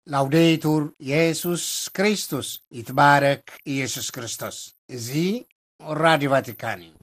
ላውዴቱር የሱስ ክርስቶስ፣ ይትባረክ ኢየሱስ ክርስቶስ። እዚ ራዲዮ ቫቲካን እዩ።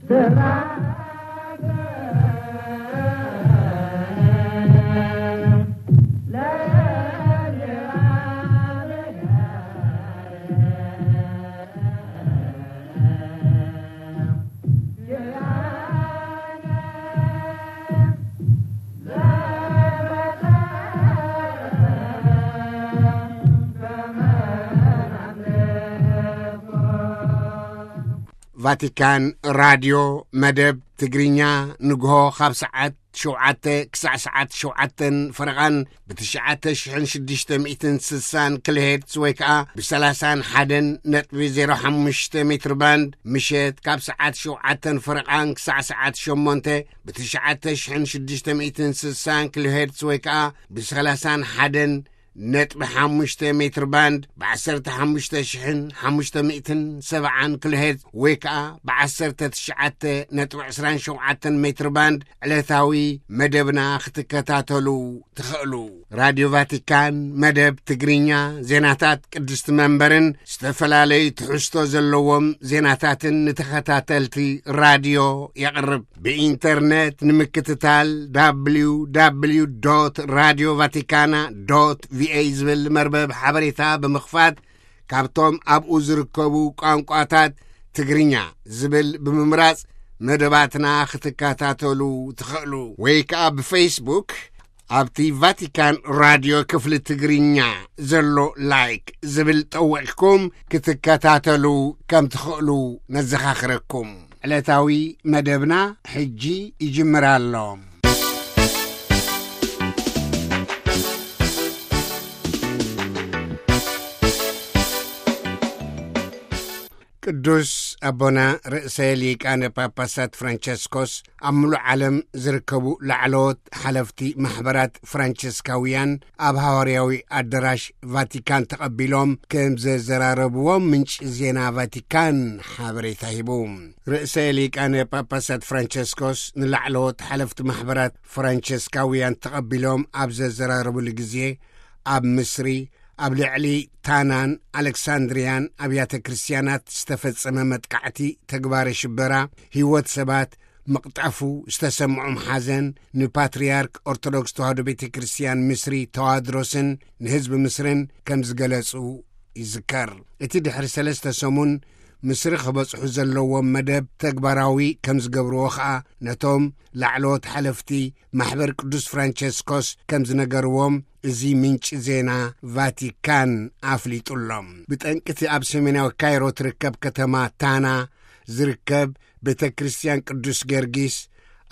ቫቲካን ራድዮ መደብ ትግርኛ ንግሆ ካብ ሰዓት ሸውዓተ ክሳዕ ሰዓት ሸውዓተን ፈረቓን ብትሽዓተ ሽሕን ሽዱሽተ ሚእትን ስሳን ኪሎሄርትዝ ወይ ከኣ ብሰላሳን ሓደን ነጥቢ ዜሮ ሓሙሽተ ሜትር ባንድ፣ ምሸት ካብ ሰዓት ሸውዓተን ፈረቓን ክሳዕ ሰዓት ሸሞንተ ብትሽዓተ ሽሕን ሽዱሽተ ሚእትን ስሳን ኪሎሄርትዝ ወይ ከኣ ብሰላሳን ሓደን ነጥቢ ሓሙሽተ ሜትር ባንድ፣ ብዓሰርተ ሓሙሽተ ሽሕን ሓሙሽተ ሚእትን ሰብዓን ኪሎሄርትዝ ወይ ከኣ ብዓሰርተ ትሽዓተ ነጥቢ ዕስራን ሸውዓተን ሜትር ባንድ ዕለታዊ መደብና ክትከታተሉ ትኽእሉ። ራድዮ ቫቲካን መደብ ትግርኛ፣ ዜናታት ቅድስቲ መንበርን ዝተፈላለዩ ትሕዝቶ ዘለዎም ዜናታትን ንተኸታተልቲ ራድዮ የቕርብ። ብኢንተርነት ንምክትታል፣ www radio vaticana ቪኦኤ ዝብል መርበብ ሓበሬታ ብምኽፋት፣ ካብቶም ኣብኡ ዝርከቡ ቋንቋታት ትግርኛ ዝብል ብምምራጽ መደባትና ክትከታተሉ ትኽእሉ። ወይ ከኣ ብፌስቡክ ኣብቲ ቫቲካን ራድዮ ክፍሊ ትግርኛ ዘሎ ላይክ ዝብል ጠዊቕኩም ክትከታተሉ ከም ትኽእሉ ነዘኻኽረኩም። ዕለታዊ መደብና ሕጂ ይጅምር ኣሎ። ቅዱስ ኣቦና ርእሰ ሊቃነ ጳጳሳት ፍራንቸስኮስ ኣብ ምሉእ ዓለም ዝርከቡ ላዕለዎት ሓለፍቲ ማሕበራት ፍራንቸስካውያን ኣብ ሃዋርያዊ ኣዳራሽ ቫቲካን ተቐቢሎም ከም ዘዘራረብዎም ምንጪ ዜና ቫቲካን ሓበሬታ ሂቡ። ርእሰ ሊቃነ ጳጳሳት ፍራንቸስኮስ ንላዕለዎት ሓለፍቲ ማሕበራት ፍራንቸስካውያን ተቐቢሎም ኣብ ዘዘራረብሉ ግዜ፣ ኣብ ምስሪ ኣብ ልዕሊ ታናን ኣሌክሳንድርያን ኣብያተ ክርስትያናት ዝተፈጸመ መጥቃዕቲ፣ ተግባረ ሽበራ፣ ህይወት ሰባት ምቕጣፉ ዝተሰምዖም ሓዘን ንፓትርያርክ ኦርቶዶክስ ተዋህዶ ቤተ ክርስትያን ምስሪ ተዋድሮስን ንህዝቢ ምስርን ከም ዝገለጹ ይዝከር። እቲ ድሕሪ ሰለስተ ሰሙን ምስሪ ክበጽሑ ዘለዎም መደብ ተግባራዊ ከም ዝገብርዎ ኸኣ ነቶም ላዕለዎት ሓለፍቲ ማሕበር ቅዱስ ፍራንቸስኮስ ከም ዝነገርዎም እዚ ምንጪ ዜና ቫቲካን ኣፍሊጡሎም። ብጠንቅቲ ኣብ ሰሜናዊ ካይሮ ትርከብ ከተማ ታና ዝርከብ ቤተ ክርስትያን ቅዱስ ጊዮርጊስ፣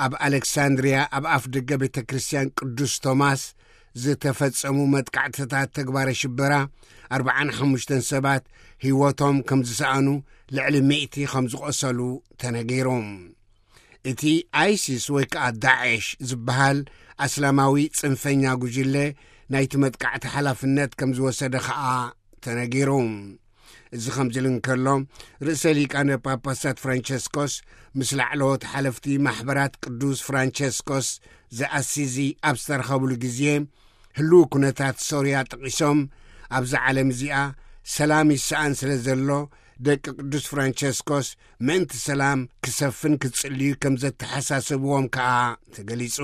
ኣብ ኣሌክሳንድርያ ኣብ ኣፍ ደገ ቤተ ክርስትያን ቅዱስ ቶማስ ዝተፈጸሙ መጥቃዕትታት ተግባረ ሽበራ፣ ኣርብዓን ሓሙሽተን ሰባት ህይወቶም ከም ዝሰኣኑ፣ ልዕሊ ሚእቲ ከም ዝቖሰሉ ተነጊሩ። እቲ ኣይሲስ ወይ ከኣ ዳዕሽ ዝበሃል ኣስላማዊ ጽንፈኛ ጉጅለ ናይቲ መጥቃዕቲ ሓላፍነት ከም ዝወሰደ ኸኣ ተነጊሩ። እዚ ከምዚ ኢሉ እንከሎ፣ ርእሰ ሊቃነ ጳጳሳት ፍራንቸስኮስ ምስ ላዕለዎት ሓለፍቲ ማሕበራት ቅዱስ ፍራንቸስኮስ ዘኣሲዚ ኣብ ዝተረኸብሉ ግዜ፣ ህልው ኩነታት ሶርያ ጠቒሶም፣ ኣብዛ ዓለም እዚኣ ሰላም ይሰኣን ስለ ዘሎ፣ ደቂ ቅዱስ ፍራንቸስኮስ ምእንቲ ሰላም ክሰፍን ክጽልዩ ከም ዘተሓሳሰብዎም ከኣ ተገሊጹ።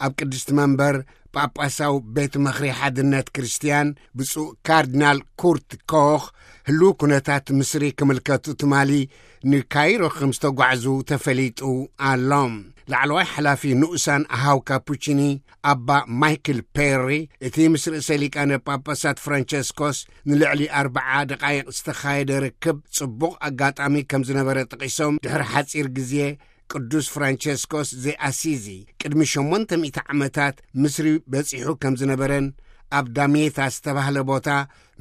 ኣብ ቅድስቲ መንበር ጳጳሳዊ ቤት ምኽሪ ሓድነት ክርስትያን ብፁዕ ካርዲናል ኩርት ኮኽ፣ ህልው ኩነታት ምስሪ ክምልከቱ ትማሊ ንካይሮ ከም ዝተጓዕዙ ተፈሊጡ ኣሎ። ላዕለዋይ ሓላፊ ንኡሳን ኣሃው ካፑቺኒ ኣባ ማይክል ፔሪ፣ እቲ ምስ ርእሰ ሊቃነ ጳጳሳት ፍራንቸስኮስ ንልዕሊ ኣርብዓ ደቓይቕ ዝተኻየደ ርክብ ጽቡቕ ኣጋጣሚ ከም ዝነበረ ጠቒሶም፣ ድሕሪ ሓጺር ግዜ ቅዱስ ፍራንቸስኮስ ዘኣሲዚ ቅድሚ ሸሞንተ ሚእቲ ዓመታት ምስሪ በጺሑ ከም ዝነበረን ኣብ ዳሜታ ዝተባህለ ቦታ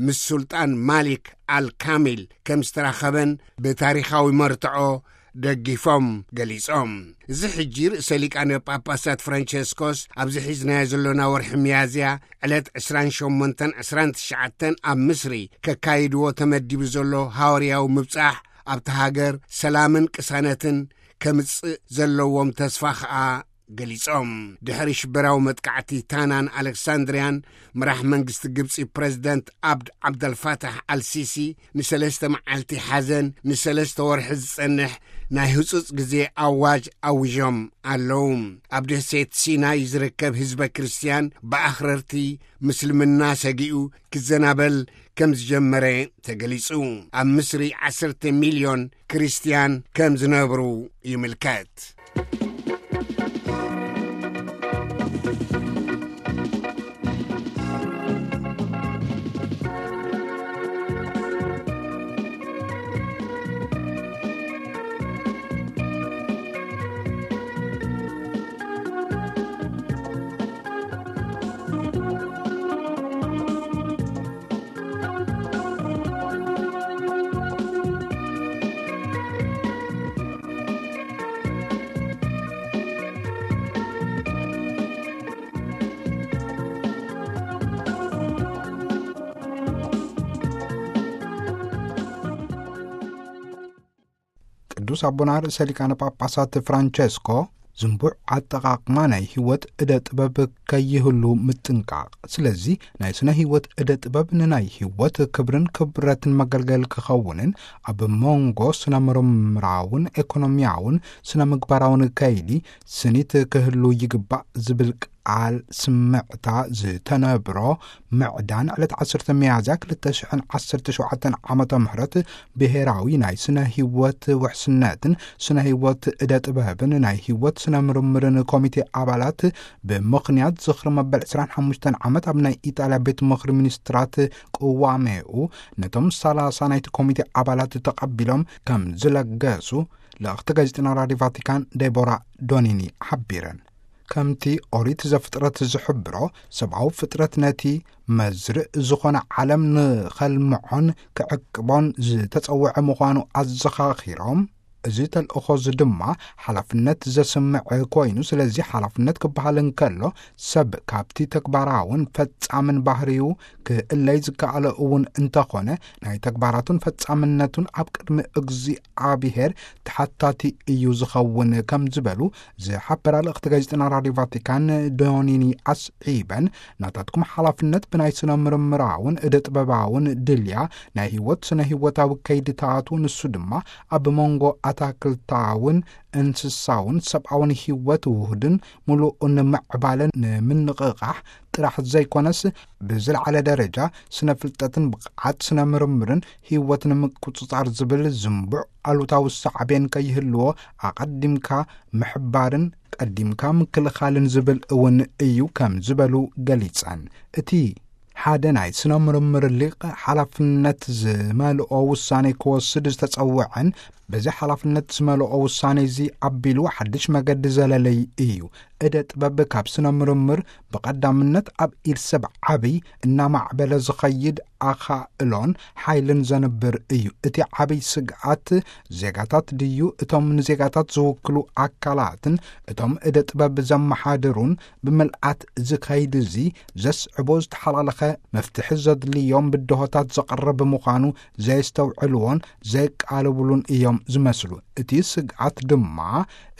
ምስ ሱልጣን ማሊክ ኣል ካሚል ከም ዝተራኸበን ብታሪኻዊ መርትዖ ደጊፎም ገሊጾም። እዚ ሕጂ ርእሰ ሊቃነ ጳጳሳት ፍራንቸስኮስ ኣብዚ ሒዝናዮ ዘሎና ወርሒ ሚያዝያ ዕለት ዕስራን ሸሞንተን ዕስራን ትሽዓተን ኣብ ምስሪ ከካይድዎ ተመዲቡ ዘሎ ሃዋርያዊ ምብጻሕ ኣብቲ ሃገር ሰላምን ቅሳነትን ከምጽእ ዘለዎም ተስፋ ኸኣ ገሊጾም። ድሕሪ ሽበራዊ መጥቃዕቲ ታናን ኣሌክሳንድርያን፣ መራሕ መንግስቲ ግብጺ ፕረዚደንት ኣብድ ዓብደልፋታሕ ኣልሲሲ ንሰለስተ መዓልቲ ሓዘን፣ ንሰለስተ ወርሒ ዝጸንሕ ናይ ህጹጽ ግዜ ኣዋጅ ኣዊዦም ኣለዉ። ኣብ ደሴት ሲናይ ዝርከብ ህዝበ ክርስትያን ብኣኽረርቲ ምስልምና ሰጊኡ ክዘናበል ከም ዝጀመረ ተገሊጹ። ኣብ ምስሪ ዓሰርተ ሚልዮን ክርስትያን ከም ዝነብሩ ይምልከት። ቅዱስ ኣቦና ርእሰ ሊቃነ ጳጳሳት ፍራንቸስኮ ዝንቡዕ ኣጠቓቕማ ናይ ህይወት እደ ጥበብ ከይህሉ ምጥንቃቕ። ስለዚ ናይ ስነ ህይወት እደ ጥበብ ንናይ ህይወት ክብርን ክብረትን መገልገል ክኸውንን ኣብ መንጎ ስነ ምርምራውን ኤኮኖሚያውን ስነ ምግባራውን ከይዲ ስኒት ክህሉ ይግባእ ዝብል ቃል ስምዕታ ዝተነብሮ ምዕዳን ዕለት ዓሰርተ ሚያዝያ ክልተ ሽሕን ዓሰርተ ሸውዓተን ዓመተ ምህረት ብሄራዊ ናይ ስነ ህይወት ውሕስነትን ስነ ህይወት እደ ጥበብን ናይ ህይወት ስነ ምርምርን ኮሚቴ ኣባላት ብምኽንያት ዝኽሪ መበል ዕስራን ሓሙሽተን ዓመት ኣብ ናይ ኢጣልያ ቤት ምኽሪ ሚኒስትራት ቅዋሜኡ ነቶም ሰላሳ ናይቲ ኮሚቴ ኣባላት ተቐቢሎም ከም ዝለገሱ ልእኽቲ ጋዜጠና ራድዮ ቫቲካን ዴቦራ ዶኒኒ ሓቢረን። ከምቲ ኦሪት ዘፍጥረት ዝሕብሮ፣ ሰብኣዊ ፍጥረት ነቲ መዝርእ ዝኾነ ዓለም ንኸልምዖን ክዕቅቦን ዝተጸውዐ ምዃኑ ኣዘኻኺሮም፣ እዚ ተልእኾ እዚ ድማ ሓላፍነት ዘስምዕ ኮይኑ፣ ስለዚ ሓላፍነት ክበሃል እንከሎ፣ ሰብ ካብቲ ተግባራውን ፈጻምን ባህሪኡ ክእለይ ዝከኣሎ እውን እንተኾነ፣ ናይ ተግባራቱን ፈጻምነቱን ኣብ ቅድሚ እግዚኣብሔር ተሓታቲ እዩ ዝኸውን ከም ዝበሉ ዝሓበራ ልእኽቲ ጋዜጠና ራድዮ ቫቲካን ዶኒኒ ኣስዒበን፣ ናታትኩም ሓላፍነት ብናይ ስነ ምርምራውን እደ ጥበባውን ድልያ ናይ ህይወት ስነ ህይወታዊ ከይድታቱ፣ ንሱ ድማ ኣብ መንጎ ኣታክልታውን እንስሳውን ሰብኣውን ህይወት ውሁድን ምሉእን ምዕባለን ንምንቕቓሕ ጥራሕ ዘይኮነስ፣ ብዝለዓለ ደረጃ ስነ ፍልጠትን ብቕዓት ስነ ምርምርን ህይወት ንምቁጽጻር ዝብል ዝንቡዕ ኣሉታዊ ሳዕቤን ከይህልዎ ኣቐዲምካ ምሕባርን ቀዲምካ ምክልኻልን ዝብል እውን እዩ ከም ዝበሉ ገሊጸን። እቲ ሓደ ናይ ስነ ምርምር ሊቅ ሓላፍነት ዝመልኦ ውሳኔ ክወስድ ዝተጸውዐን፣ በዚ ሓላፍነት ዝመልኦ ውሳኔ እዚ ኣቢሉ ሓድሽ መገዲ ዘለለይ እዩ። እደ ጥበብ ካብ ስነ ምርምር ብቐዳምነት ኣብ ኢድ ሰብ ዓብይ እናማዕበለ ዝኸይድ ኣኻእሎን ሓይልን ዘንብር እዩ። እቲ ዓብይ ስግኣት ዜጋታት ድዩ፣ እቶም ንዜጋታት ዝውክሉ ኣካላትን እቶም እደ ጥበብ ዘመሓድሩን ብምልኣት እዚ ከይዲ እዚ ዘስዕቦ ዝተሓላለኸ መፍትሒ ዘድልዮም ብድሆታት ዘቕርብ ምዃኑ ዘየስተውዕልዎን ዘይቃልብሉን እዮም ዝመስሉ። እቲ ስግኣት ድማ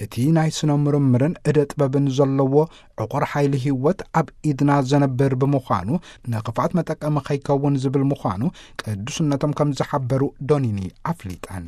እቲ ናይ ስነ ምርምርን እደ ጥበብን ዘለዎ ዕቑር ሓይሊ ህይወት ኣብ ኢድና ዘነብር ብምዃኑ ንኽፍኣት መጠቀሚ ከይከውን ዝብል ምዃኑ ቅዱስነቶም ከም ዝሓበሩ ዶኒኒ ኣፍሊጠን።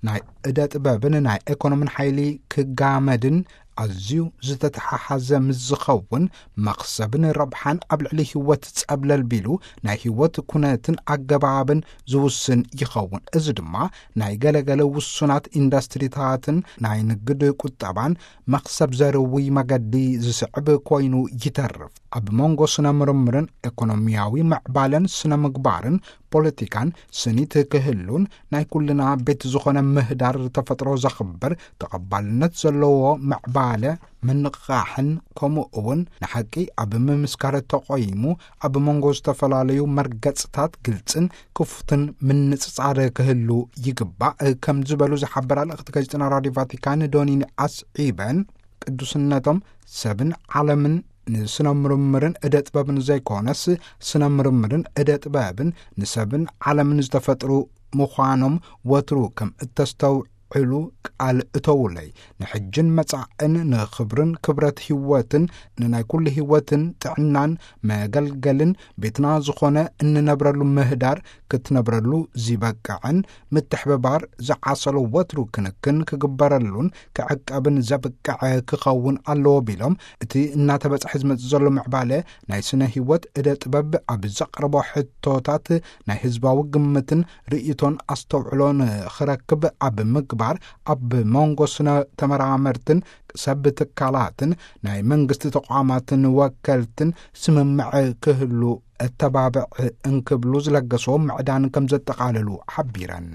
ናይ እደ ጥበብን ናይ ኤኮኖምን ሓይሊ ክጋመድን ኣዝዩ ዝተተሓሓዘ ምስ ዝኸውን፣ መኽሰብን ረብሓን ኣብ ልዕሊ ህይወት ጸብለል ቢሉ ናይ ህይወት ኩነትን ኣገባብን ዝውስን ይኸውን። እዚ ድማ ናይ ገለገለ ውሱናት ኢንዱስትሪታትን ናይ ንግድ ቁጠባን መኽሰብ ዘርዊ መገዲ ዝስዕብ ኮይኑ ይተርፍ። ኣብ መንጎ ስነ ምርምርን ኤኮኖሚያዊ ምዕባለን ስነ ምግባርን ፖለቲካን ስኒት ክህሉን ናይ ኩልና ቤት ዝኾነ ምህዳር ተፈጥሮ ዘኽብር ተቐባልነት ዘለዎ ምዕባለ ምንቕቓሕን ከምኡ እውን ንሓቂ ኣብ ምምስካር ተቆይሙ ኣብ መንጎ ዝተፈላለዩ መርገጽታት ግልጽን ክፉትን ምንጽጻር ክህሉ ይግባእ ከም ዝበሉ ዝሓበራ ልእኽቲ ጋዜጠና ራድዮ ቫቲካን ዶኒኒ ኣስዒበን ቅዱስነቶም ሰብን ዓለምን ንስነ ምርምርን እደ ጥበብን ዘይኮነስ ስነ ምርምርን እደ ጥበብን ንሰብን ዓለምን ዝተፈጥሩ ምዃኖም ወትሩ ከም እተስተው ዕሉ ቃል እተውለይ፣ ንሕጅን መጻእን፣ ንኽብርን ክብረት ህይወትን፣ ንናይ ኩሉ ህይወትን ጥዕናን መገልገልን ቤትና ዝኾነ እንነብረሉ ምህዳር ክትነብረሉ ዝበቅዕን ምትሕብባር ዝዓሰሎ ወትሩ ክንክን ክግበረሉን ክዕቀብን ዘብቅዐ ክኸውን ኣለዎ ቢሎም፣ እቲ እናተበጽሐ ዝመጽእ ዘሎ ምዕባለ ናይ ስነ ህይወት እደ ጥበብ ኣብ ዘቕረቦ ሕቶታት ናይ ህዝባዊ ግምትን ርእይቶን ኣስተውዕሎ ንኽረክብ ኣብ ምግባር፣ ኣብ መንጎ ስነ ተመራመርትን ሰብ ትካላትን ናይ መንግስቲ ተቋማትን ወከልትን ስምምዕ ክህሉ እተባብዕ እንክብሉ ዝለገስዎ ምዕዳን ከም ዘጠቓለሉ ሓቢረን።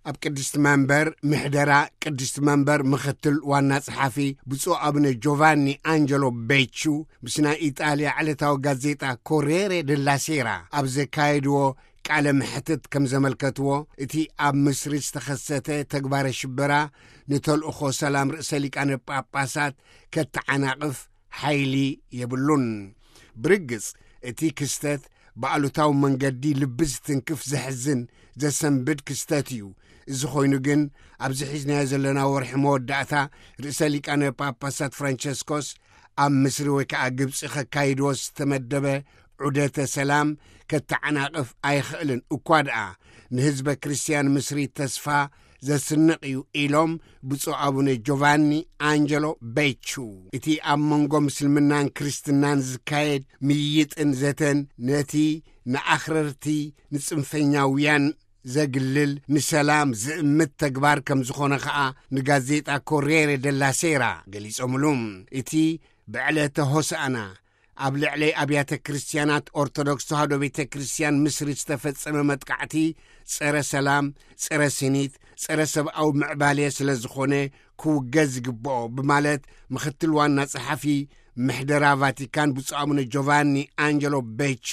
ኣብ ቅድስቲ መንበር ምሕደራ ቅድስቲ መንበር ምኽትል ዋና ጸሓፊ ብፁዕ ኣቡነ ጆቫኒ ኣንጀሎ ቤቹ ምስ ናይ ኢጣልያ ዕለታዊ ጋዜጣ ኮሬሬ ደላ ሴራ ኣብ ዘካየድዎ ቃለ መሕትት ከም ዘመልከትዎ፣ እቲ ኣብ ምስሪ ዝተኸሰተ ተግባረ ሽበራ ንተልእኾ ሰላም ርእሰ ሊቃነ ጳጳሳት ከተዓናቕፍ ሓይሊ የብሉን። ብርግጽ፣ እቲ ክስተት ብኣሉታዊ መንገዲ ልቢ ዝትንክፍ፣ ዘሕዝን፣ ዘሰንብድ ክስተት እዩ። እዚ ኮይኑ ግን፣ ኣብዚ ሒዝናዮ ዘለና ወርሒ መወዳእታ ርእሰ ሊቃነ ጳጳሳት ፍራንቸስኮስ ኣብ ምስሪ ወይ ከዓ ግብጺ ከካይድዎ ዝተመደበ ዑደተ ሰላም ከተዓናቕፍ ኣይኽእልን። እኳ ደኣ ንህዝበ ክርስትያን ምስሪ ተስፋ ዘስንቕ እዩ ኢሎም ብፁዕ ኣቡነ ጆቫኒ ኣንጀሎ ቤቹ። እቲ ኣብ መንጎ ምስልምናን ክርስትናን ዝካየድ ምይይጥን ዘተን ነቲ ንኣኽረርቲ ንጽንፈኛውያን ዘግልል፣ ንሰላም ዝእምት ተግባር ከም ዝኾነ ኸኣ ንጋዜጣ ኮሬሬ ደላ ሴራ ገሊጾምሉ። እቲ ብዕለተ ሆሳእና ኣብ ልዕሊ ኣብያተ ክርስትያናት ኦርቶዶክስ ተዋህዶ ቤተ ክርስትያን ምስሪ ዝተፈጸመ መጥቃዕቲ ጸረ ሰላም፣ ጸረ ስኒት፣ ጸረ ሰብኣዊ ምዕባለ ስለ ዝኾነ ክውገዝ ይግብኦ ብማለት ምኽትል ዋና ጸሓፊ ምሕደራ ቫቲካን ብፁዕ ኣቡነ ጆቫኒ ኣንጀሎ ቤቹ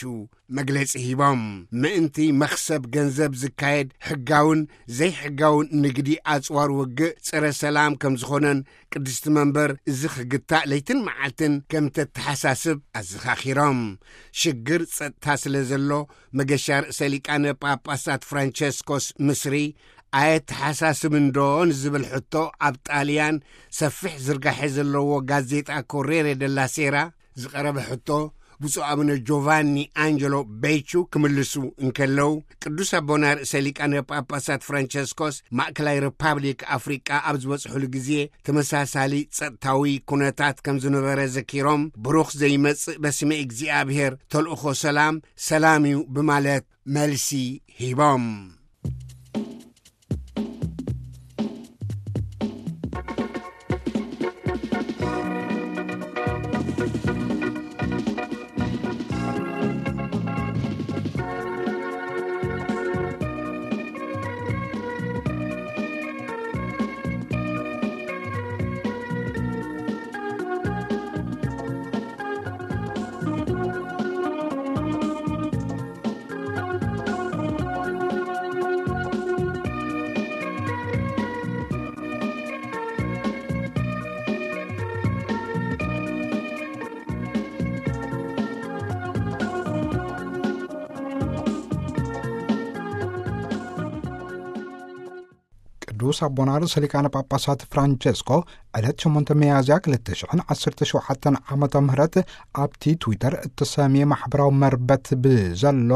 መግለጺ ሂቦም። ምእንቲ መኽሰብ ገንዘብ ዝካየድ ሕጋውን ዘይሕጋውን ንግዲ ኣጽዋር ውግእ ጸረ ሰላም ከም ዝኾነን ቅድስቲ መንበር እዚ ክግታእ ለይትን መዓልትን ከም ተተሓሳስብ ኣዘኻኺሮም። ሽግር ጸጥታ ስለ ዘሎ መገሻ ርእሰ ሊቃነ ጳጳሳት ፍራንቸስኮስ ምስሪ ኣየተሓሳስብን ዶ ንዝብል ሕቶ ኣብ ጣልያን ሰፊሕ ዝርጋሐ ዘለዎ ጋዜጣ ኮሬሬ ደላ ሴራ ዝቐረበ ሕቶ ብፁዕ ኣቡነ ጆቫኒ ኣንጀሎ ቤቹ ክምልሱ እንከለዉ፣ ቅዱስ ኣቦና ርእሰ ሊቃነ ጳጳሳት ፍራንቸስኮስ ማእከላይ ሪፓብሊክ ኣፍሪቃ ኣብ ዝበጽሑሉ ግዜ ተመሳሳሊ ጸጥታዊ ኩነታት ከም ዝነበረ ዘኪሮም፣ ብሩኽ ዘይመጽእ በስመ እግዚኣብሔር ተልእኾ ሰላም ሰላም እዩ ብማለት መልሲ ሂቦም። ቅዱስ ኣቦና ርእሰ ሊቃነ ጳጳሳት ፍራንቸስኮ ዕለት ሸሞንተ ሚያዝያ ክልተ ሽሕን ዓሰርተ ሸውዓተን ዓመተ ምህረት ኣብቲ ትዊተር እተሰምየ ማሕበራዊ መርበት ብዘሎ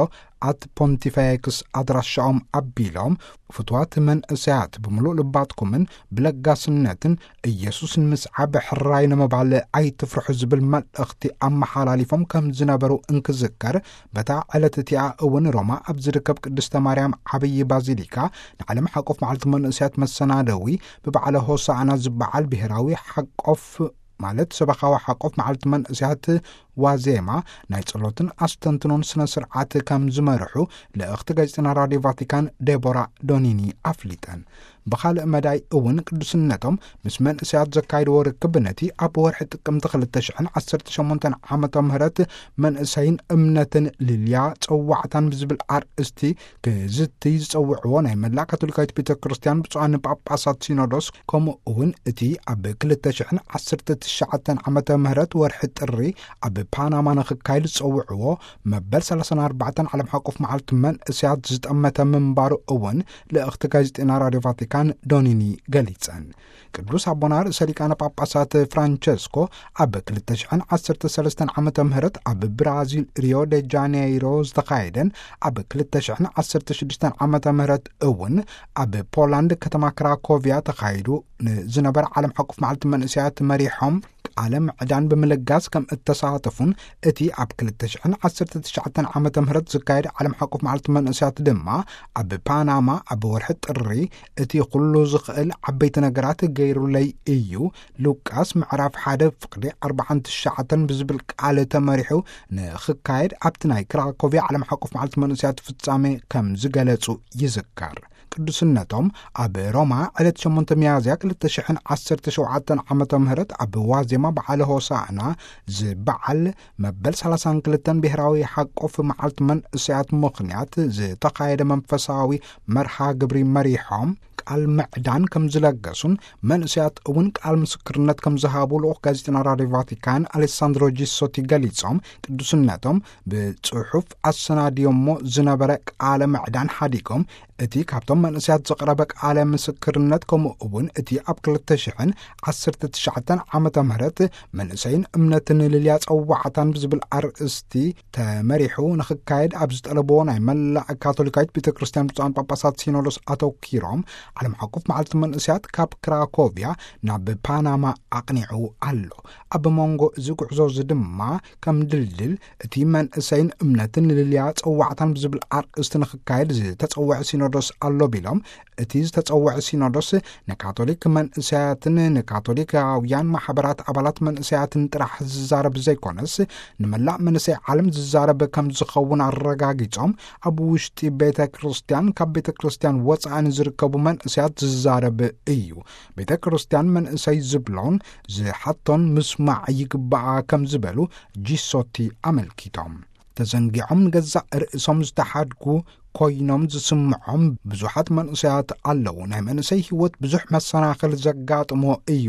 ኣት ፖንቲፌክስ ኣድራሻኦም ኣቢሎም፣ ፍትዋት መንእሰያት፣ ብምሉእ ልባትኩምን ብለጋስነትን ኢየሱስ ንምስዓብ ሕራይ ንምባል ኣይትፍርሑ ዝብል መልእኽቲ ኣመሓላሊፎም ከም ዝነበሩ እንክዝከር፣ በታ ዕለት እቲኣ እውን ሮማ ኣብ ዝርከብ ቅድስተ ማርያም ዓብዪ ባዚሊካ ንዓለም ሓቆፍ መዓልቲ መንእሰያት መሰናደዊ ብበዓለ ሆሳዕና ዝበዓል ብሔራዊ ሓቆፍ ማለት ሰበኻዊ ሓቆፍ መዓልቲ መንእሰያት ዋዜማ ናይ ጸሎትን ኣስተንትኖን ስነ ስርዓት ከም ዝመርሑ ልእኽቲ ጋዜጠና ራድዮ ቫቲካን ዴቦራ ዶኒኒ ኣፍሊጠን። ብኻልእ መዳይ እውን ቅዱስነቶም ምስ መንእሰያት ዘካይድዎ ርክብ ነቲ ኣብ ወርሒ ጥቅምቲ ክልተ ሽሕን ዓሰርተ ሸሞንተን ዓመተ ምህረት መንእሰይን እምነትን ልልያ ጸዋዕታን ብዝብል ኣርእስቲ ክዝቲ ዝጸውዕዎ ናይ መላእ ካቶሊካዊት ቤተ ክርስቲያን ብፁዓን ጳጳሳት ሲኖዶስ፣ ከምኡ እውን እቲ ኣብ ክልተ ሽሕን ዓሰርተ ትሽዓተን ዓመተ ምህረት ወርሒ ጥሪ ኣብ ፓናማ ንኽካየድ ዝጸውዕዎ መበል ሰላሳን ኣርባዕተን ዓለም ሓቆፍ መዓልቲ መንእሰያት ዝጠመተ ምንባሩ እውን ልእኽቲ ጋዜጠና ራድዮ ቫቲካን ዶኒኒ ገሊጸን። ቅዱስ ኣቦና ርእሰ ሊቃነ ጳጳሳት ፍራንቸስኮ ኣብ ክልተ ሽሕን ዓሰርተ ሰለስተን ዓመተ ምህረት ኣብ ብራዚል ሪዮ ደ ጃኔይሮ ዝተኻየደን ኣብ ክልተ ሽሕን ዓሰርተ ሽዱሽተን ዓመተ ምህረት እውን ኣብ ፖላንድ ከተማ ክራኮቪያ ተኻይዱ ንዝነበረ ዓለም ሓቆፍ መዓልቲ መንእሰያት መሪሖም ቃለ ምዕዳን ብምልጋስ ከም እተሳተፉን እቲ ኣብ ክልተ ሽሕን ዓሰርተ ትሽዓተን ዓመተ ምህረት ዝካየድ ዓለም ሓቆፍ መዓልቲ መንእሰያት ድማ ኣብ ፓናማ ኣብ ወርሒ ጥሪ እቲ ኩሉ ዝኽእል ዓበይቲ ነገራት ገይሩለይ እዩ። ሉቃስ ምዕራፍ ሓደ ፍቕዲ ኣርባዓን ትሽዓተን ብዝብል ቃል ተመሪሑ ንኽካየድ ኣብቲ ናይ ክራኮቪያ ዓለም ሓቆፍ መዓልቲ መንእሰያት ፍጻሜ ከም ዝገለጹ ይዝከር። ቅዱስነቶም ኣብ ሮማ ዕለት ሸሞንተ ሚያዝያ ክልተ ሽሕን ዓሰርተ ሸውዓተን ዓመተ ምህረት ኣብ ዋዜማ በዓለ ሆሳዕና ዝበዓል መበል ሰላሳን ክልተን ብሔራዊ ሓቆፍ መዓልቲ መንእሰያት ምኽንያት ዝተኻየደ መንፈሳዊ መርሃ ግብሪ መሪሖም ቃል ምዕዳን ከም ዝለገሱን መንእሰያት እውን ቃል ምስክርነት ከም ዝሃቡ ልኡኽ ጋዜጠና ራድዮ ቫቲካን ኣሌሳንድሮ ጂሶቲ ገሊጾም፣ ቅዱስነቶም ብጽሑፍ ኣሰናድዮሞ ዝነበረ ቃለ ምዕዳን ሓዲጎም፣ እቲ ካብቶም መንእሰያት ዝቐረበ ቃለ ምስክርነት፣ ከምኡ እውን እቲ ኣብ ክልተ ሽሕን ዓሰርተ ትሽዓተን ዓመተ ምህረት መንእሰይን እምነትን ልልያ ጸዋዕታን ብዝብል ኣርእስቲ ተመሪሑ ንኽካየድ ኣብ ዝጠለብዎ ናይ መላእ ካቶሊካዊት ቤተ ክርስቲያን ብፁዓን ጳጳሳት ሲኖዶስ ኣተኪሮም፣ ዓለም ሓቆፍ መዓልቲ መንእሰያት ካብ ክራኮቪያ ናብ ፓናማ ኣቕኒዑ ኣሎ። ኣብ መንጎ እዚ ጉዕዞ እዚ ድማ ከም ድልድል እቲ መንእሰይን እምነትን ልልያ ጸዋዕታን ብዝብል ኣርእስቲ ንኽካየድ ዝተጸውዐ ሲኖዶስ ኣሎ ቢሎም፣ እቲ ዝተጸውዐ ሲኖዶስ ንካቶሊክ መንእሰያትን ንካቶሊካውያን ማሕበራት ኣባላት መንእሰያትን ጥራሕ ዝዛረብ ዘይኮነስ፣ ንመላእ መንእሰይ ዓለም ዝዛረብ ከም ዝኸውን ኣረጋጊጾም፣ ኣብ ውሽጢ ቤተ ክርስቲያን፣ ካብ ቤተ ክርስቲያን ወጻኢ ንዝርከቡ መንእሰያት ዝዛረብ እዩ። ቤተ ክርስቲያን መንእሰይ ዝብሎን ዝሓቶን ምስማዕ ይግባኣ ከም ዝበሉ ጂሶቲ ኣመልኪቶም። ተዘንጊዖም ንገዛእ ርእሶም ዝተሓድጉ ኮይኖም ዝስምዖም ብዙሓት መንእሰያት ኣለዉ። ናይ መንእሰይ ህይወት ብዙሕ መሰናኽል ዘጋጥሞ እዩ።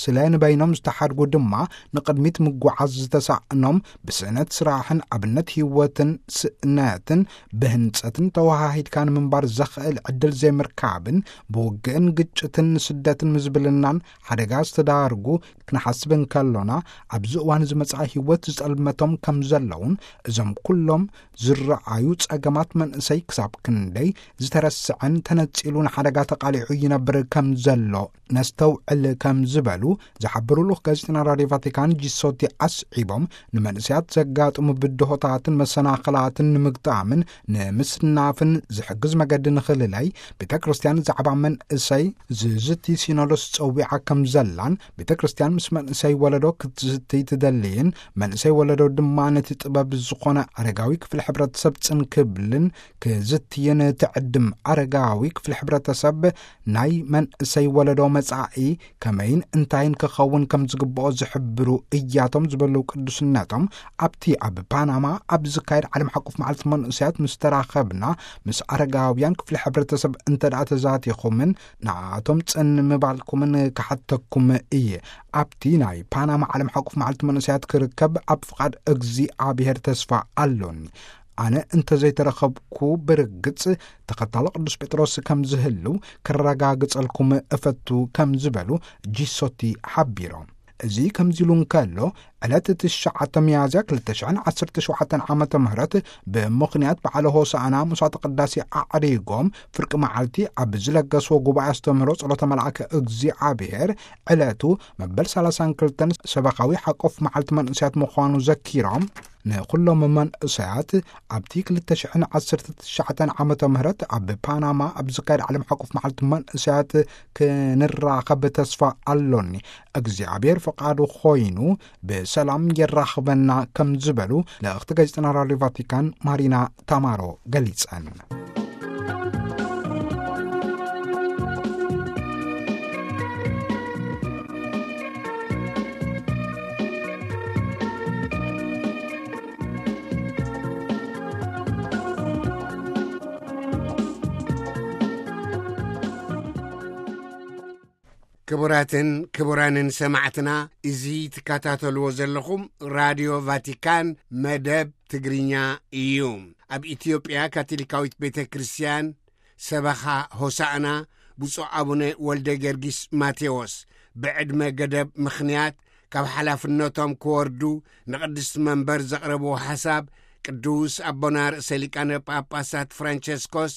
ስለ ንበይኖም ዝተሓድጉ ድማ ንቕድሚት ምጓዓዝ ዝተሳእኖም፣ ብስእነት ስራሕን ኣብነት ህይወትን ስእነትን ብህንጸትን ተወሃሂድካ ንምንባር ዘኽእል ዕድል ዘይምርካብን ብውግእን ግጭትን ስደትን ምዝብልናን ሓደጋ ዝተዳርጉ ክንሓስብ እንከሎና፣ ኣብዚ እዋን እዚ መጻኢ ህይወት ዝጸልመቶም ከም ዘለውን፣ እዞም ኩሎም ዝረኣዩ ጸገማት መንእሰይ ክሳብ ክንደይ ዝተረስዐን ተነጺሉ ንሓደጋ ተቓሊዑ ይነብር ከም ዘሎ ነስተውዕል ከም ዝበሉ ዝሓበሩ ልኡኽ ጋዜጠና ራድዮ ቫቲካን ጂሶቲ ኣስዒቦም፣ ንመንእሰያት ዘጋጥሙ ብድሆታትን መሰናኽላትን ንምግጣምን ንምስናፍን ዝሕግዝ መገዲ ንኽልላይ ቤተ ክርስቲያን ዛዕባ መንእሰይ ዝዝቲ ሲኖዶስ ጸዊዓ ከም ዘላን፣ ቤተ ክርስቲያን ምስ መንእሰይ ወለዶ ክትዝቲ ትደልይን፣ መንእሰይ ወለዶ ድማ ነቲ ጥበብ ዝኾነ ኣረጋዊ ክፍሊ ሕብረተሰብ ጽን ክብልን ክዝትይን ትዕድም። ኣረጋዊ ክፍሊ ሕብረተሰብ ናይ መንእሰይ ወለዶ መጻኢ ከመይን እንታይን ክኸውን ከም ዝግብኦ ዝሕብሩ እያቶም ዝበሉ ቅዱስነቶም፣ ኣብቲ ኣብ ፓናማ ኣብ ዝካየድ ዓለም ሓቆፍ መዓልቲ መንእሰያት ምስ ተራኸብና፣ ምስ ኣረጋውያን ክፍሊ ሕብረተሰብ እንተ ደኣ ተዛቲኹምን ንኣቶም ጽን ምባልኩምን ክሓተኩም እየ። ኣብቲ ናይ ፓናማ ዓለም ሓቆፍ መዓልቲ መንእሰያት ክርከብ ኣብ ፍቓድ እግዚኣብሔር ተስፋ ኣሎኒ። ኣነ እንተ ዘይተረኸብኩ፣ ብርግጽ ተኸታሎ ቅዱስ ጴጥሮስ ከም ዝህልው ክረጋግጸልኩም እፈቱ ከም ዝበሉ ጂሶቲ ሓቢሮም። እዚ ከምዚ ኢሉ እንከሎ፣ ዕለት ትሽዓተ ሚያዝያ ክልተ ሽሕን ዓሰርተ ሸውዓተን ዓመተ ምህረት ብምኽንያት በዓለ ሆሳዕና ምሳተ ቅዳሴ ኣዕሪጎም ፍርቂ መዓልቲ ኣብ ዝለገስዎ ጉባኤ ኣስተምህሮ ጸሎተ መልኣከ እግዚኣብሔር ዕለቱ መበል ሰላሳን ክልተን ሰበኻዊ ሓቆፍ መዓልቲ መንእሰያት ምዃኑ ዘኪሮም፣ ንኹሎም መንእሰያት ኣብቲ ክልተ ሽሕን ዓሰርተ ትሽዓተን ዓመተ ምህረት ኣብ ፓናማ ኣብ ዝካየድ ዓለም ሓቆፍ መዓልቲ መንእሰያት ክንራኸብ ተስፋ ኣሎኒ። እግዚኣብሔር ፍቓዱ ኮይኑ ብሰላም የራኽበና ከም ዝበሉ ልእኽቲ ጋዜጠና ራድዮ ቫቲካን ማሪና ታማሮ ገሊጸን። ክቡራትን ክቡራንን ሰማዕትና፣ እዚ ትከታተልዎ ዘለኹም ራድዮ ቫቲካን መደብ ትግርኛ እዩ። ኣብ ኢትዮጵያ ካቶሊካዊት ቤተ ክርስቲያን ሰበኻ ሆሳዕና ብፁዕ ኣቡነ ወልደ ገርጊስ ማቴዎስ ብዕድመ ገደብ ምኽንያት ካብ ሓላፍነቶም ክወርዱ ንቅድስቲ መንበር ዘቕረብዎ ሓሳብ ቅዱስ ኣቦና ርእሰ ሊቃነ ጳጳሳት ፍራንቸስኮስ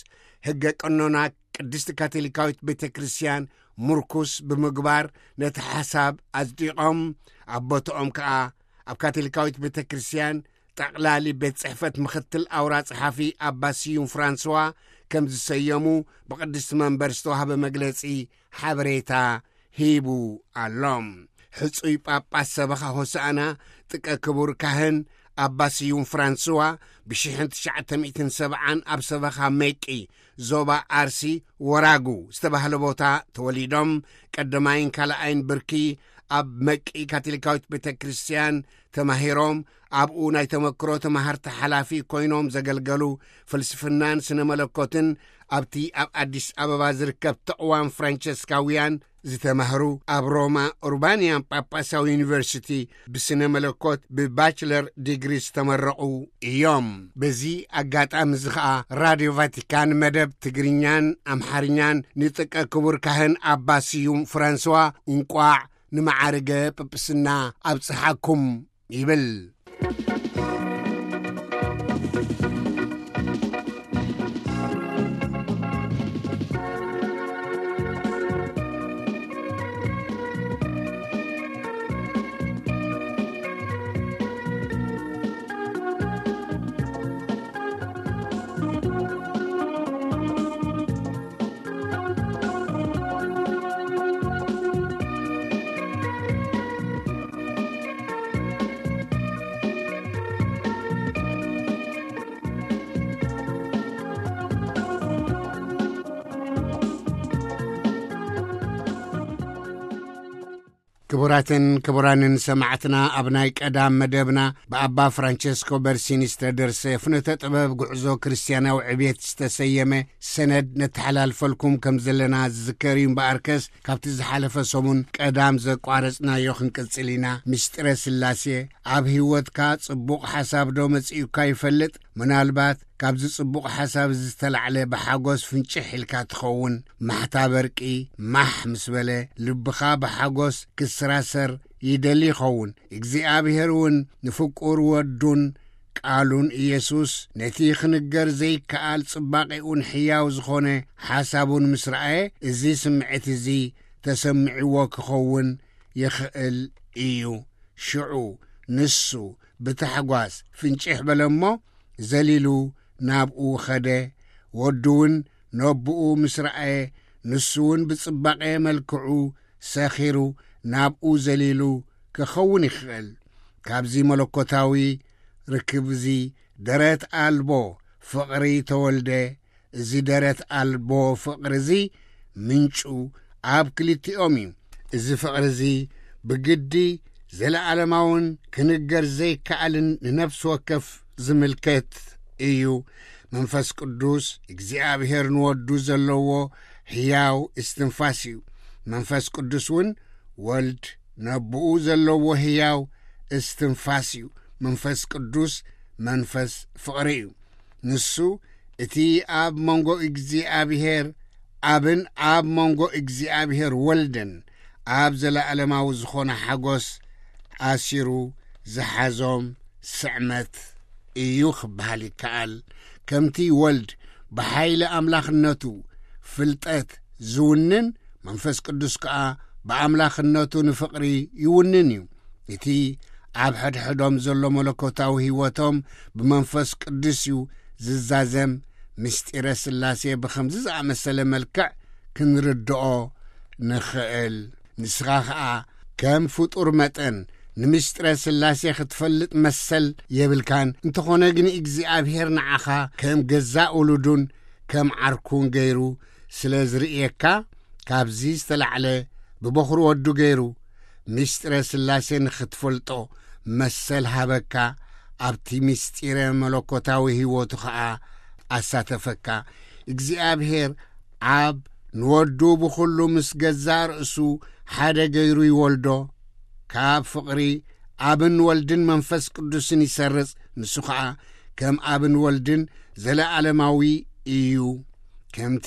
ሕገ ቀኖና ቅድስቲ ካቶሊካዊት ቤተ ክርስቲያን ምርኩስ ብምግባር ነቲ ሓሳብ ኣጽዲቖም፣ ኣብ ቦታኦም ከኣ ኣብ ካቶሊካዊት ቤተ ክርስቲያን ጠቕላሊ ቤት ጽሕፈት ምኽትል ኣውራ ጸሓፊ ኣባ ስዩም ፍራንስዋ ከም ዝሰየሙ ብቅድስቲ መንበር ዝተዋህበ መግለጺ ሓበሬታ ሂቡ ኣሎ። ሕጹይ ጳጳስ ሰበኻ ሆሳዕና ጥቀ ክቡር ካህን ኣባ ስዩም ፍራንስዋ ብሽሕን ትሽዓተ ሚእትን ሰብዓን ኣብ ሰበኻ መቂ ዞባ ኣርሲ ወራጉ ዝተባህለ ቦታ ተወሊዶም፣ ቀዳማይን ካልኣይን ብርኪ ኣብ መቂ ካቶሊካዊት ቤተ ክርስቲያን ተማሂሮም፣ ኣብኡ ናይ ተመክሮ ተማሃርቲ ሓላፊ ኮይኖም ዘገልገሉ፣ ፍልስፍናን ስነ መለኮትን ኣብቲ ኣብ ኣዲስ ኣበባ ዝርከብ ተቕዋም ፍራንቸስካውያን ዝተማህሩ፣ ኣብ ሮማ ኡርባንያን ጳጳሳዊ ዩኒቨርሲቲ ብስነ መለኮት ብባችለር ዲግሪ ዝተመረቑ እዮም። በዚ ኣጋጣሚ እዚ ኸኣ ራድዮ ቫቲካን መደብ ትግርኛን ኣምሓርኛን ንጥቀ ክቡር ካህን ኣባ ስዩም ፍራንስዋ እንቋዕ ንመዓርገ ጵጵስና ኣብጽሓኩም ይብል። ክቡራትን ክቡራንን ሰማዕትና፣ ኣብ ናይ ቀዳም መደብና ብኣባ ፍራንቸስኮ በርሲኒ ዝተደርሰ ፍኖተ ጥበብ ጉዕዞ ክርስትያናዊ ዕብየት ዝተሰየመ ሰነድ ነተሓላልፈልኩም ከም ዘለና ዝዝከር እዩ። እምበኣርከስ፣ ካብቲ ዝሓለፈ ሰሙን ቀዳም ዘቋረጽናዮ ክንቅጽል ኢና። ምስጢረ ስላሴ ኣብ ህይወትካ ጽቡቕ ሓሳብ ዶ መጺኡካ ይፈልጥ? ምናልባት ካብዚ ጽቡቕ ሓሳብ እዚ ዝተላዕለ ብሓጎስ ፍንጭሕ ኢልካ ትኸውን። ማሕታ በርቂ ማሕ ምስ በለ፣ ልብኻ ብሓጎስ ክስራሰር ይደሊ ይኸውን። እግዚኣብሔር እውን ንፍቁር ወዱን ቃሉን ኢየሱስ ነቲ ክንገር ዘይከኣል ጽባቄኡን ሕያው ዝኾነ ሓሳቡን ምስ ረኣየ፣ እዚ ስምዒት እዚ ተሰሚዕዎ ክኸውን ይኽእል እዩ። ሽዑ ንሱ ብታሕጓስ ፍንጭሕ በለ እሞ፣ ዘሊሉ ናብኡ ኸደ። ወዱ እውን ነቦኡ ምስ ረኣየ፣ ንሱ እውን ብጽባቐ መልክዑ ሰኺሩ ናብኡ ዘሊሉ ክኸውን ይኽእል። ካብዚ መለኮታዊ ርክብ እዚ ደረት ኣልቦ ፍቕሪ ተወልደ። እዚ ደረት ኣልቦ ፍቕሪ እዚ ምንጩ ኣብ ክልቲኦም እዩ። እዚ ፍቕሪ እዚ ብግዲ ዘለዓለማውን ክንገር ዘይከኣልን ንነፍሲ ወከፍ ዝምልከት እዩ። መንፈስ ቅዱስ እግዚኣብሔር ንወዱ ዘለዎ ሕያው እስትንፋስ እዩ። መንፈስ ቅዱስ እውን ወልድ ነቦኡ ዘለዎ ሕያው እስትንፋስ እዩ። መንፈስ ቅዱስ መንፈስ ፍቕሪ እዩ። ንሱ እቲ ኣብ መንጎ እግዚኣብሔር ኣብን ኣብ መንጎ እግዚኣብሔር ወልድን ኣብ ዘለዓለማዊ ዝኾነ ሓጎስ ኣሲሩ ዝሓዞም ስዕመት እዩ ክበሃል ይከኣል። ከምቲ ወልድ ብሓይሊ ኣምላኽነቱ ፍልጠት ዝውንን፣ መንፈስ ቅዱስ ከኣ ብኣምላኽነቱ ንፍቕሪ ይውንን እዩ። እቲ ኣብ ሕድሕዶም ዘሎ መለኮታዊ ህይወቶም ብመንፈስ ቅዱስ እዩ ዝዛዘም። ምስጢረ ሥላሴ ብኸምዚ ዝኣመሰለ መልክዕ ክንርድኦ ንኽእል። ንስኻ ኸኣ ከም ፍጡር መጠን ንምስጢረ ሥላሴ ክትፈልጥ መሰል የብልካን። እንተኾነ ግን እግዚኣብሔር ንዓኻ ከም ገዛእ ውሉዱን ከም ዓርኩን ገይሩ ስለ ዝርእየካ፣ ካብዚ ዝተላዕለ ብበኹሪ ወዱ ገይሩ ምስጢረ ሥላሴ ንኽትፈልጦ መሰል ሃበካ። ኣብቲ ምስጢረ መለኮታዊ ህይወቱ ኸኣ ኣሳተፈካ። እግዚኣብሔር ኣብ ንወዱ ብኹሉ ምስ ገዛእ ርእሱ ሓደ ገይሩ ይወልዶ። ካብ ፍቕሪ ኣብን ወልድን መንፈስ ቅዱስን ይሰርጽ። ንሱ ኸኣ ከም ኣብን ወልድን ዘለዓለማዊ እዩ። ከምቲ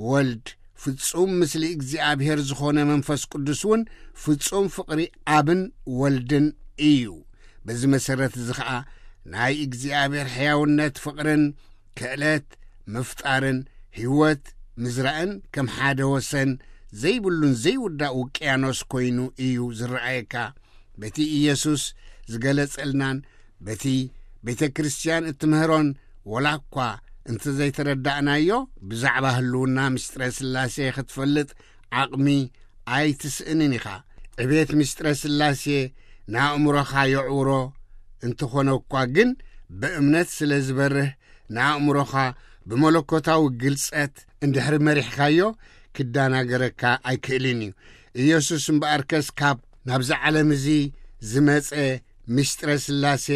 ወልድ ፍጹም ምስሊ እግዚኣብሔር ዝኾነ፣ መንፈስ ቅዱስ እውን ፍጹም ፍቕሪ ኣብን ወልድን እዩ። በዚ መሰረት እዚ ኸኣ ናይ እግዚኣብሔር ሕያውነት፣ ፍቕርን ክእለት ምፍጣርን ህይወት ምዝራእን ከም ሓደ ወሰን ዘይብሉን ዘይውዳእ ውቅያኖስ ኮይኑ እዩ ዝረኣየካ። በቲ ኢየሱስ ዝገለጸልናን በቲ ቤተ ክርስቲያን እትምህሮን ወላ እኳ እንተ ዘይተረዳእናዮ፣ ብዛዕባ ህልውና ምስጢረ ሥላሴ ክትፈልጥ ዓቕሚ ኣይትስእንን ኢኻ። ዕቤት ምስጢረ ሥላሴ ንኣእምሮኻ የዕውሮ እንተኾነ እኳ ግን፣ ብእምነት ስለ ዝበርህ፣ ንኣእምሮኻ ብመለኮታዊ ግልጸት እንድሕሪ መሪሕካዮ፣ ክዳናገረካ ኣይክእልን እዩ። ኢየሱስ እምበኣርከስ ካብ ናብዚ ዓለም እዚ ዝመጸ ምስጢረ ሥላሴ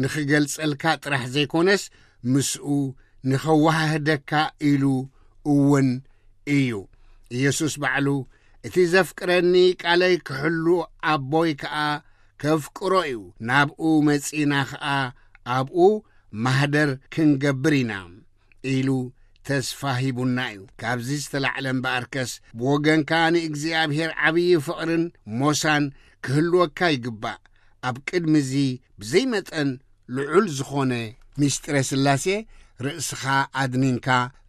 ንኽገልጸልካ ጥራሕ ዘይኮነስ፣ ምስኡ ንኸወሃህደካ ኢሉ እውን እዩ። ኢየሱስ ባዕሉ፣ "እቲ ዘፍቅረኒ ቃለይ ክሕሉ፣ ኣቦይ ከኣ ከፍቅሮ እዩ፣ ናብኡ መጺእና ኸኣ ኣብኡ ማህደር ክንገብር ኢና" ኢሉ ተስፋ ሂቡና እዩ። ካብዚ ዝተላዕለ እምበኣርከስ፣ ብወገንካ ንእግዚኣብሔር ዓብዪ ፍቕርን ሞሳን ክህልወካ ይግባእ። ኣብ ቅድሚ እዚ ብዘይ መጠን ልዑል ዝኾነ ምስጢረ ሥላሴ ርእስኻ ኣድኒንካ፣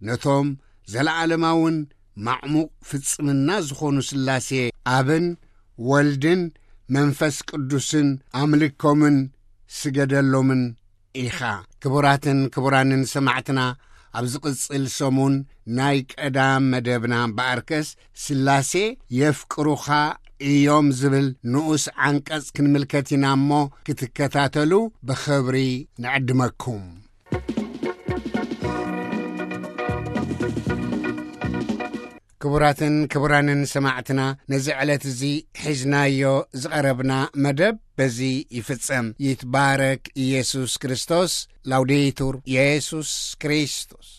ነቶም ዘለዓለማውን ማዕሙቕ ፍጽምና ዝኾኑ ሥላሴ ኣብን ወልድን መንፈስ ቅዱስን ኣምልኮምን ስገደሎምን ኢኻ። ክቡራትን ክቡራንን ሰማዕትና፣ ኣብ ዝቕጽል ሰሙን ናይ ቀዳም መደብና እምበኣርከስ፣ "ሥላሴ የፍቅሩኻ እዮም" ዝብል ንኡስ ዓንቀጽ ክንምልከት ኢና እሞ፣ ክትከታተሉ ብኽብሪ ንዕድመኩም። ክቡራትን ክቡራንን ሰማዕትና፣ ነዚ ዕለት እዚ ሒዝናዮ ዝቐረብና መደብ በዚ ይፍጸም። ይትባረክ ኢየሱስ ክርስቶስ። ላውዴቱር ኢየሱስ ክርስቶስ።